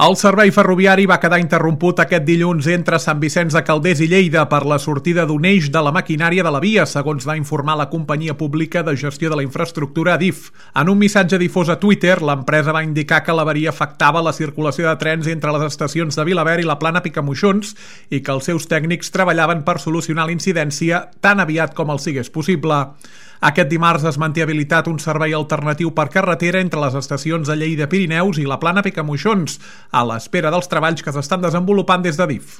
El servei ferroviari va quedar interromput aquest dilluns entre Sant Vicenç de Calders i Lleida per la sortida d'un eix de la maquinària de la via, segons va informar la companyia pública de gestió de la infraestructura ADIF. En un missatge difós a Twitter, l'empresa va indicar que l'avaria afectava la circulació de trens entre les estacions de Vilaverd i la Plana Picamoixons i que els seus tècnics treballaven per solucionar l'incidència tan aviat com el sigués possible. Aquest dimarts es manté habilitat un servei alternatiu per carretera entre les estacions de Lleida Pirineus i la Plana Picamoixons, a l'espera dels treballs que s'estan desenvolupant des d'ADIF.